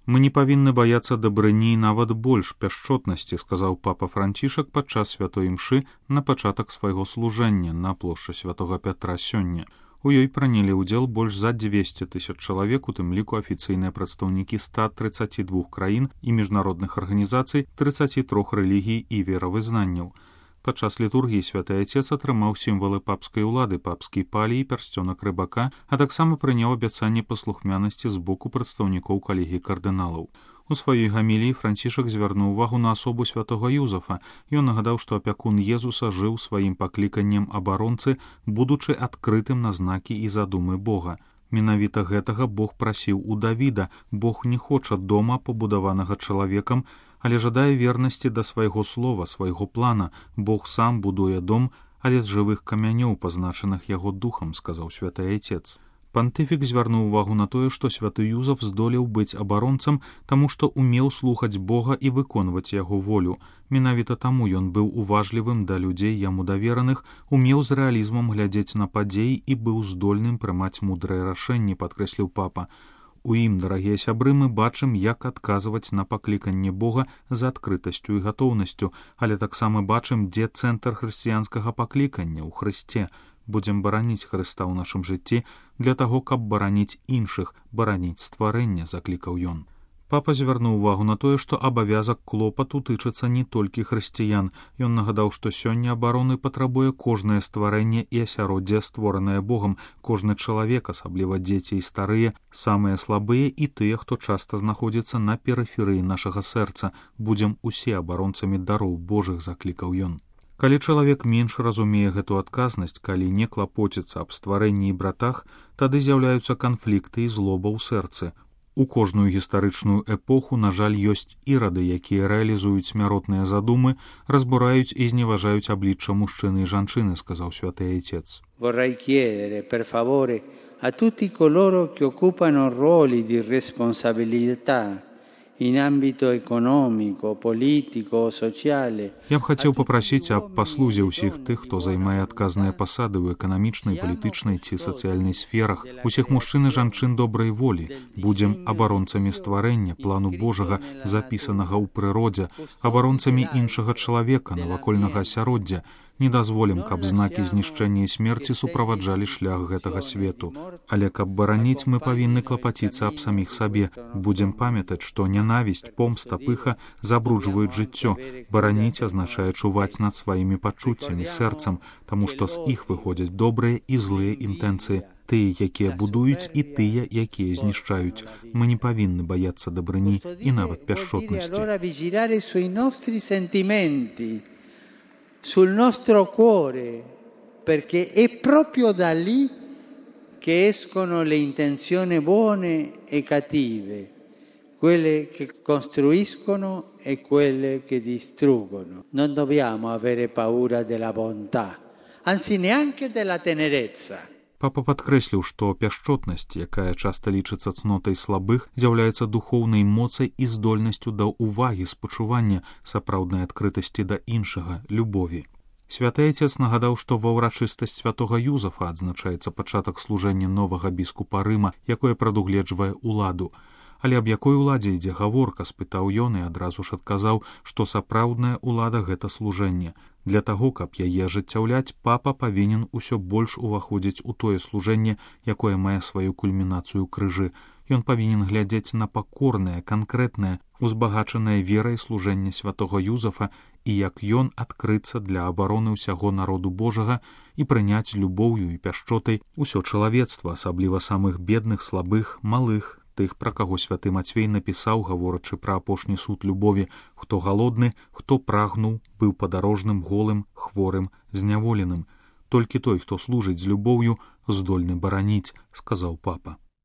Мы не павінны баяцца дабрыні і нават больш пяшчотнасці, сказаў папа Францішак падчас святой імшы на пачатак свайго служэння на плошчы святога Пятра сёння. У ёй прынялі ўдзел больш за 200 000 чалавек, у тым ліку афіцыйныя прадстаўнікі 132 краін і міжнародных арганізацый 33 рэлігій і веравызнанняў. Падчас літургіі святы Отец атрымаў сімвалы папскай улады, папскі палій, пярсцёнак рыбака, а таксама прыняў абяцанне паслухмянасці з боку прадстаўнікоў калегіі кардыналаў. У сваёй гаміліі Францішак звярнуў увагу на асобу святога Юзафа. Ён нагадаў, што апякун Езуса жыў сваім пакліканнем абаронцы, будучы адкрытым на знакі і задумы Бога. Менавіта гэтага Бог прасіў у Давіда. Бог не хоча дома, пабудаванага чалавекам, але жадае вернасці да свайго слова, свайго плана. Бог сам будуе дом, але з жывых камянёў, пазначаных яго духам, сказаў святы Отец. Пантыфік звярнуў увагу на тое, што святы Юзаф здолеў быць абаронцам, таму што умеў слухаць Бога і выконваць яго волю. Менавіта таму ён быў уважлівым да людзей яму давераных, умеў з рэалізмам глядзець на падзеі і быў здольным прымаць мудрыя рашэнні, падкрэсліў папа. У ім, дарагія сябры, мы бачым, як адказваць на пакліканне Бога з адкрытасцю і гатоўнасцю, але таксама бачым, дзе цэнтр хрысціянскага паклікання ў Хрысце. Будзем бараніць Хрыста ў нашым жыцці для таго, каб бараніць іншых, бараніць стварэнне, заклікаў ён. Папа звярнуў увагу на тое, што абавязак клопату тычыцца не толькі хрысціян. Ён нагадаў, што сёння абароны патрабуе кожнае стварэнне і асяроддзе, створанае Богам, кожны чалавек, асабліва дзеці і старыя, самыя слабыя і тыя, хто часта знаходзіцца на перыферыі нашага сэрца. Будзем усе абаронцамі дароў Божых, заклікаў ён. Калі чалавек менш разумее гэту адказнасць, калі не клапоціцца аб стварэнні і братах, тады з'яўляюцца канфлікты і злоба ў сэрцы. У кожную гістарычную эпоху, на жаль, ёсць ірады, якія рэалізуюць смяротныя задумы, разбураюць і зневажаюць аблічча мужчыны і жанчыны, сказаў святы Отец. Vorrei chiedere, per favore, a tutti coloro che occupano ruoli di responsabilità in ambito economico, politico, sociale. Я б хацеў папрасіць аб паслузе ўсіх тых, хто займае адказныя пасады ў эканамічнай, палітычнай ці сацыяльнай сферах, усіх мужчын і жанчын добрай волі. Будзем абаронцамі стварэння, плану Божага, запісанага ў прыродзе, абаронцамі іншага чалавека, навакольнага асяроддзя. Не дазволім, каб знакі знішчэння і смерці суправаджалі шлях гэтага свету. Але каб бараніць, мы павінны клапаціцца аб саміх сабе. Будзем памятаць, што нянавісць, помста, пыха забруджваюць жыццё. Бараніць азначае чуваць над сваімі пачуццямі, сэрцам, таму што з іх выходзяць добрыя і злыя інтэнцыі. Тыя, якія будуюць, і тыя, якія знішчаюць. Мы не павінны баяцца дабрыні і нават пяшчотнасці. Sul nostro cuore, perché è proprio da lì che escono le intenzioni buone e cattive, quelle che costruiscono e quelle che distruggono. Non dobbiamo avere paura della bontà, anzi neanche della tenerezza. Папа падкрэсліў, што пяшчотнасць, якая часта лічыцца цнотай слабых, з'яўляецца духоўнай моцай і здольнасцю да ўвагі, спачування, сапраўднай адкрытасці да іншага, любові. Святы Отец нагадаў, што ва ўрачыстасць святога Юзафа адзначаецца пачатак служэння новага біскупа Рыма, якое прадугледжвае уладу. Але аб якой уладзе ідзе гаворка, спытаў ён і адразу ж адказаў, што сапраўдная улада гэта служэнне. Для таго, каб яе ажыццяўляць, папа павінен усё больш уваходзіць у тое служэнне, якое мае сваю кульмінацыю крыжы. Ён павінен глядзець на пакорнае, канкрэтнае, узбагачанае верай служэнне святога Юзафа і як ён адкрыцца для абароны ўсяго народу Божага і прыняць любоўю і пяшчотай усё чалавецтва, асабліва самых бедных, слабых, малых, тых, пра каго святы Мацвей напісаў, гаворачы пра апошні суд любові, хто галодны, хто прагнуў, быў падарожным, голым, хворым, зняволеным. Толькі той, хто служыць з любоўю, здольны бараніць, сказаў папа.